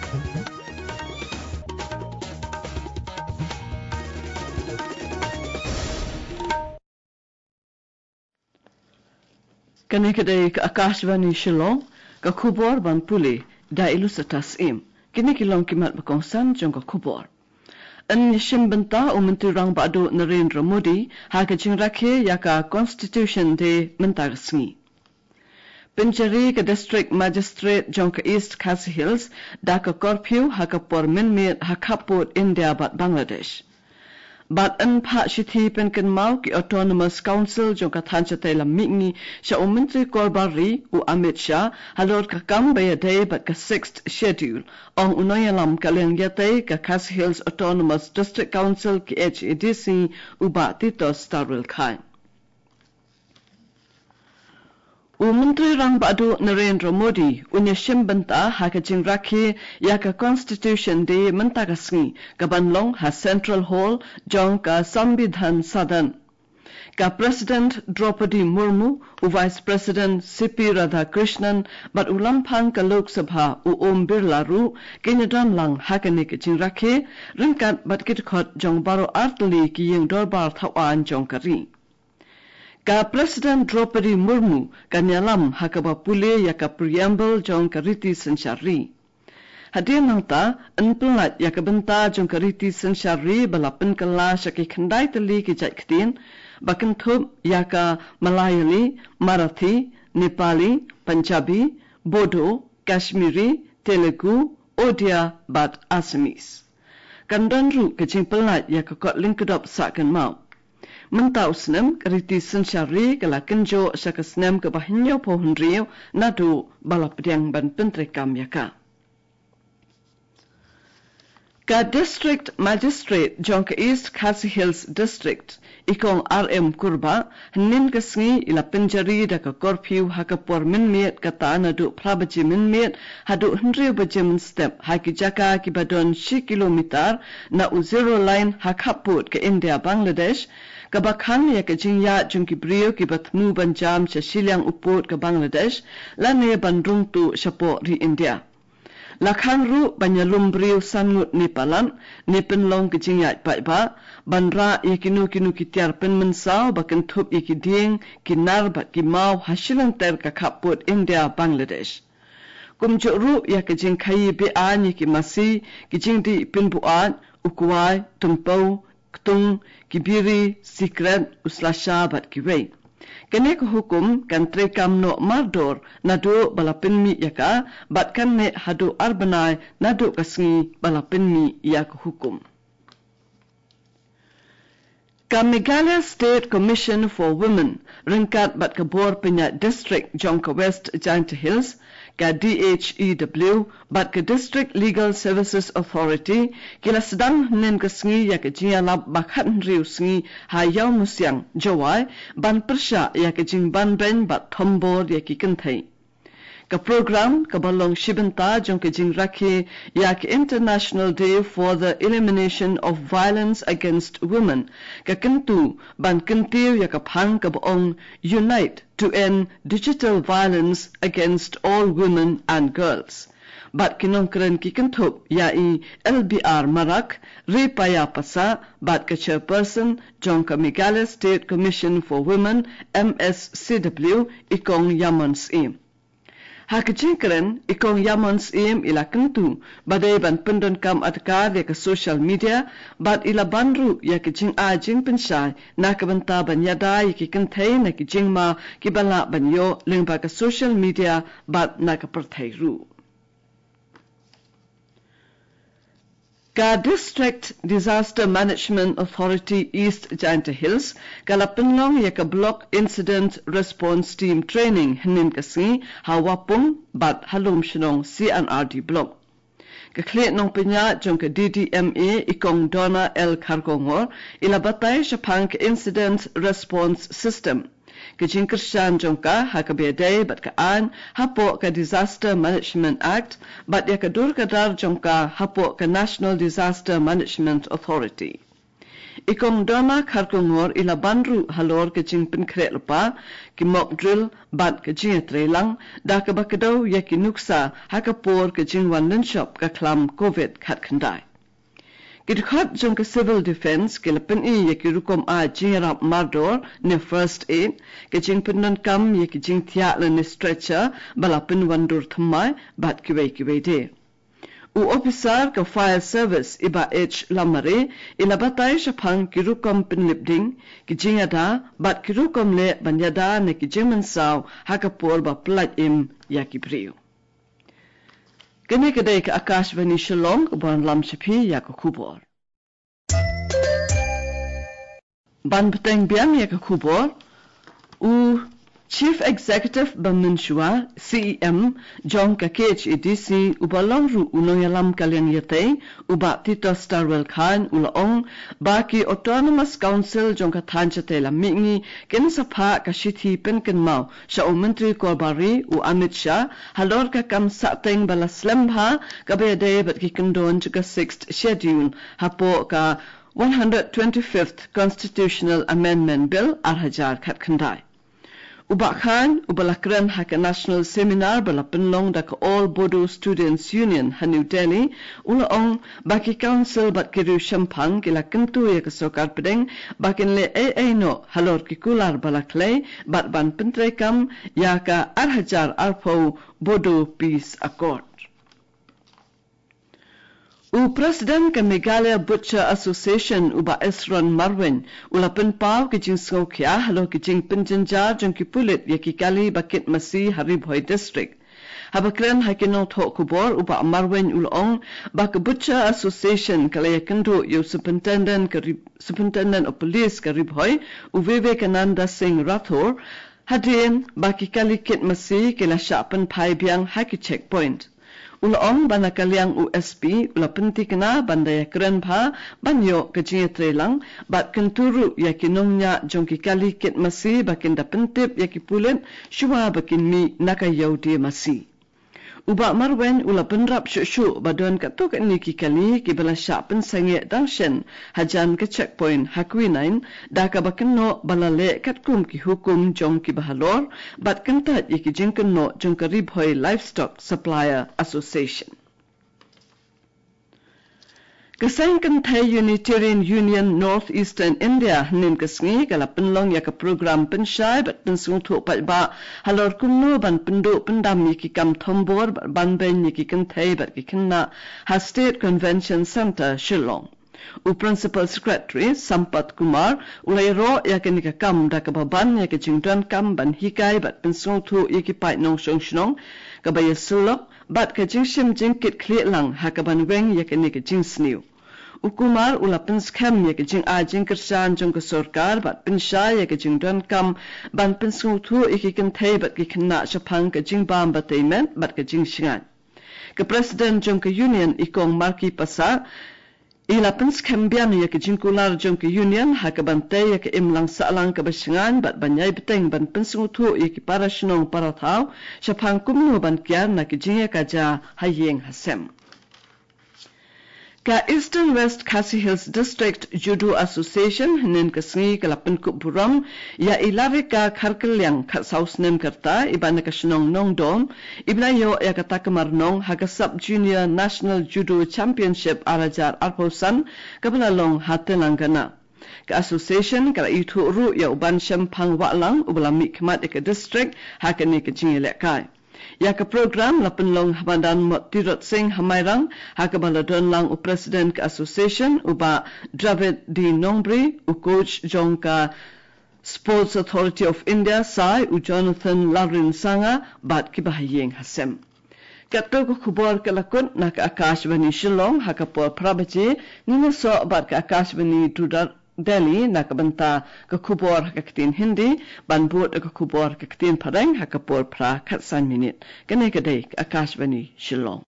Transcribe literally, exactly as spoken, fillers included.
Kane ka dei ka Akashvani Shillong, ka khubor ban pule da i Lusata Syiem. Kine ki long ki mat ba kongsan jong ka khubor. Yn ïashim bynta u Myntri Rangbah Duh Narendra Modi ha ka jingrakhe ïa ka Constitution Day mynta ka sngi. Pynjari ka District Magistrate jong ka East Khasi Hills da ka curfew ha ka por mynmiet ha khappud India bad Bangladesh. Bad yn phah shithi pynkynmaw ki Autonomous Council jong ka thaiñ shatei lam mihngi sha u Myntri Korbar Ri u Amit Shah halor ka kam ba ïadei bad ka Sixth Schedule. Ong u nongïalam ka liang ïatei ka Khasi Hills Autonomous District Council, K H A D C, u Bah Titosstarwell Chyne. U Myntri Rangbah Duh Narendra Modi un ïashim bynta ha ka jingrakhe ïa ka Constitution Day mynta ka sngi, ka ban long ha Central Hall jong ka Sambidhan Sadan. Ka President Droupadi Murmu, u Vice President C P Radhakrishnan bad u lamphang ka Lok Sabha u Om Birla ruh kin ïadon lang ha kane ka jingrakhe ryngkat bad ki dkhot jong baroh artylli ki ïing dorbar thaw aiñ jong ka ri. Ka President Droupadi Murmu kan ïalam ha kaba pule ïa ka Preamble jong ka Riti Synshar Ri. Hadien nangta yn pyllait ïa ka bynta jong ka Riti Synshar Ri ba la pynkylla sha ki khyndai tylli ki jait ktien, ba kynthup ïa ka Malayali, Marathi, Nepali, Punjabi, Bodo, Kashmiri, Telugu, Odia bad Assamese. Kan don ruh ka jingpyllait ïa ka kot lyngkdop sah kynmaw. Mynta u snem ka Riti Synshar Ri ka la kynjoh sha ka snem kaba hynñiewphew hynriew naduh ba la pdiang ban pyntreikam ïa ka. Ka District Magistrate jong ka East Khasi Hills District, i Kong R M Kurbah, hynnin ka sngi i la pynjari da ka curfew ha ka por mynmiet, kata naduh phra baje mynmiet haduh hynriew baje mynstep ha ki jaka kiba don shi kilometer na u zero line ha khappud ka India Bangladesh, kaba khang ïa ka jingïaid jong ki briew kiba thmu ban jam sha shiliang u pud ka Bangladesh lane ban rung tuh shapoh ri India. La khang ruh ban ïalum briew san ngut ne palat ne pynlong ka jingïaid paidbah, ban rah ïa kino kino ki tiar pynmynsaw ba kynthup ïa ki dieng, ki nar bad ki maw ha shilynter ka khappud India Bangladesh. Kumjuh ruh ïa ka jingkhaïi be-aiñ ïa ki masi, ki jingdih pynbuaid, u kwai, tympew, ktung, ki biri, sikret, u slasha bad kiwei. Kane ka hukum kan treikam noh mardor naduh ba la pynmih ïa ka, bad kan neh haduh ar bnai naduh ka sngi ba la pynmih ïa ka hukum. Ka Meghalaya State Commission for Women ryngkat bad ka bor pynïaid district jong ka West Jaintia Hills, ka D H E W, bad ka District Legal Services Authority ki la sdang hynnin ka sngi ïa ka jingïalap ba khathynriew sngi ha Ïawmusiang, Jowai, ban pyrshah ïa ka jingbanbeiñ bad thombor ïa ki kynthei. Ka program kaba long shibynta jong ka jingrakhe ïa ka International Day for the Elimination of Violence Against Women, ka kyntu ban kyntiew ïa ka phang kaba ong Unite to End Digital Violence Against All Women and Girls. Bad ki nongkren ki kynthup ïa i L B R Marak, Ripaya Passah, bad ka chairperson jong ka Meghalaya State Commission for Women, M S C W, i Kong Yamon Syiem. Ha ka jingkren, i Kong Yamon Syiem i la kyntu ba dei ban pyndonkam adkar ïa ka social media, bad i la ban ruh ïa ka jingai jingpynshai na ka bynta ban ïada ïa ki kynthei na ki jingma kiba lah ban ïoh lyngba ka social media bad na ka pyrthei ruh. Ka District Disaster Management Authority East Jaintia Hills ka la pynlong ïa ka Block Incident Response Team Training hynnin ka sngi ha Wapung bad ha Lumshnong C and R D Block. Ka khlieh nongpynïaid jong ka D D M A, i Kong Donna L Kharkongor, i la batai shaphang ka Incident Response System, ka jingkyrshan jong ka ha kaba ïadei bad ka aiñ hapoh ka Disaster Management Act bad ïa ka dur ka dar jong ka hapoh ka National Disaster Management Authority. I Kong Donna Kharkongor i la ban ruh halor ka jingpynkhreh lypa, ki mock drill bad ka jingïatreilang da kaba kdew ïa ki nuksa ha ka por ka jingwan lynshop ka khlam covid khatkhyndai. Ki dkhot jong ka Civil Defence ki la pyni ïa ki rukom ai jingïarap mardor ne first aid, ka jingpyndonkam ïa ki jingthiah lane stretcher ba la pynwandur thymmai bad kiwei kiwei de. U ophisar ka Fire Service i Bah H Lamare i la batai shaphang ki rukom pynlip ding, ki jingïada bad ki rukom leh ban ïada na ki jingmynsaw ha ka por ba pyllait im ïa ki briew. Kane ka dei ka Akashvani Shillong ka ban lam sha phi ïa ka khubor. Ban bteng biang ïa ka khubor, u Chief Executive ba mynshuwa, C E M, jong ka K H A D C, uba long ruh u nongïalam ka liang ïatei, u Bah Titosstarwell Chyne, u la ong ba ki Autonomous Council jong ka thaiñ shatei lam mihngi kin sa phah ka shithi pynkynmaw sha u Myntri Korbari, u Amit Shah, halor ka kam sahteng ba la slem bha kaba ïadei bad ki kyndon jong ka Sixth Schedule hapoh ka one hundred twenty-fifth Constitutional Amendment Bill ar hajar khatkhyndai. U Bah Chyne, uba la kren ha ka National Seminar ba la pynlong da ka All Bodo Students Union ha New Delhi, u la ong ba ki council bad ki riew shemphang ki la kyntu ïa ka sorkar pdeng ba kin leh ei ei noh halor ki kular ba la khlei bad ban pyntreikam ïa ka ar hajar arphew Bodo Peace Accord. U President ka Meghalaya Butcher Association, u Bah Esron Marwein, u la pynpaw ki jingsngewkhia halor ki jingpynjynjar jong ki pulit ïa ki kali ba kit masi ha Ri Bhoi District. Haba kren ha ki nongthoh khubor, u Bah Marwein u la ong ba ka Butcher Association ka la ïakynduh ïa u Superintendent ka Ri-, Superintendent of Police ka Ri Bhoi, u Vivekananda Singh Rathore, hadien ba ki kali kit masi ki la shah pynphai biang ha ki checkpoint. U la ong ba na ka liang u S P u la pynthikna ban da ïakren bha ban ïoh ka jingïatreilang bad kyntu ruh ïa ki nongñiah jong ki kali kit masi ba kin da pyntip ïa ki pulit shuwa ba kin mih na ka ïew die masi. U Bah Marwein u la pynrap shuh shuh ba don katto katne ki kali kiba la shah pynsangeh dang shen hajan ka checkpoint ha Quinine, da kaba kynnoh ba la leh katkum ki hukum jong kiba halor bad kyntait ïa ki jingkynnoh jong ka Ri Bhoi Livestock Supplier Association. Ka seng kynthei Unitarian Union North Eastern India hynnin ka sngi ka la pynlong ïa ka program pynshai bad pynsngewthuh paidbah halor kumno ban pynduh pyndam ïa ki kam thombor bad ban beiñ ïa ki kynthei bad ki khynnah ha State Convention Centre, Shillong. U Principal Secretary Sampath Kumar u la ïaroh ïa kane ka kam da kaba ban ïa ka jingdonkam ban hikai bad pynsngewthuh ïa ki paid nongshong shnong kaba ïasyllok bad ka jingshim jingkitkhlieh lang ha kaban weng ïa kane ka jingsniew. U Kumar u la pynskhem ïa ka jingai jingkyrshan jong ka sorkar bad pynshai ïa ka jingdonkam ban pynsngewthuh ïa ki kynthei bad ki khynnah shaphang ka jingbam batai met bad ka jingshngaiñ. Ka President jong ka Union, i Kong Marki Passah, i la pynskhem biang ïa ka jingkular jong ka Union ha kaban tei ïa ka imlang sahlang kaba shngaiñ bad ban ïai bteng ban pynsngewthuh ïa ki para shnong para thaw shaphang kumno ban kiar na ki jingïakajia ha ïing ha sem. Ka Eastern West Khasi Hills District Judo Association hynnin ka sngi ka la pynkup burom ïa i Larika Kharkylliang, khatsaw snem ka rta, iba na ka shnong Nongdom, iba la ïoh ïa ka takmar nong ha ka Sub Junior National Judo Championship ar hajar arphew san kaba la long ha Telangana. Ka association ka la ithuh ruh ïa u Banshemphang Wahlang uba la mihkhmat ïa ka district ha kane ka jingïalehkai. Ïa ka program la pynlong ha madan Mot Tirot Singh ha Mairang, ha kaba la don lang u President ka Association, u Bah Dravid D Nongbri, u coach jong ka Sports Authority of India, SAI, u Jonathan Lalrinsanga, bad kiba ha ïing ha sem. Katto ka khubor ka la kut na ka Akashvani Shillong ha ka por phra baje, ngin ïasoh bad ka Akashvani Dudar Delhi na ka bynta ka khubor ha ka ktien Hindi, ban bud ka khubor ha ka ktien Phareng ha ka por phra khatsan minit. Kane ka dei ka Akashvani Shillong.